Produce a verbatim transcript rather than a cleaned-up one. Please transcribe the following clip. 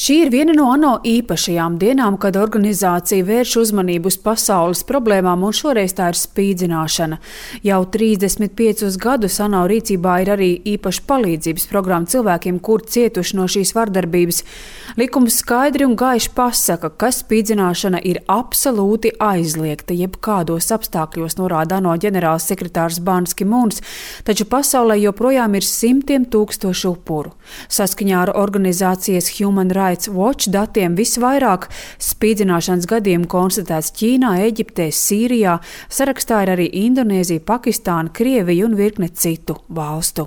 Šī ir viena no ANO īpašajām dienām, kad organizācija vērš uzmanību uz pasaules problēmām, un šoreiz tā ir spīdzināšana. Jau trīsdesmit piecus gadus ANO rīcībā ir arī īpaša palīdzības programma cilvēkiem, kur cietuši no šīs vardarbības. Likums skaidri un gaiši pasaka, ka spīdzināšana ir absolūti aizliegta jebkādos apstākļos, norāda ANO ģenerāls sekretārs Ban Ki-mūns, taču pasaulē joprojām ir simtiem tūkstošu upuru. Saskaņā ar organizācijas Human Rights Watch datiem visvairāk spīdzināšanas gadījumu konstatēts Ķīnā, Eģiptē, Sīrijā, sarakstā ir arī Indonēzija, Pakistāna, Krievija un virkne citu valstu.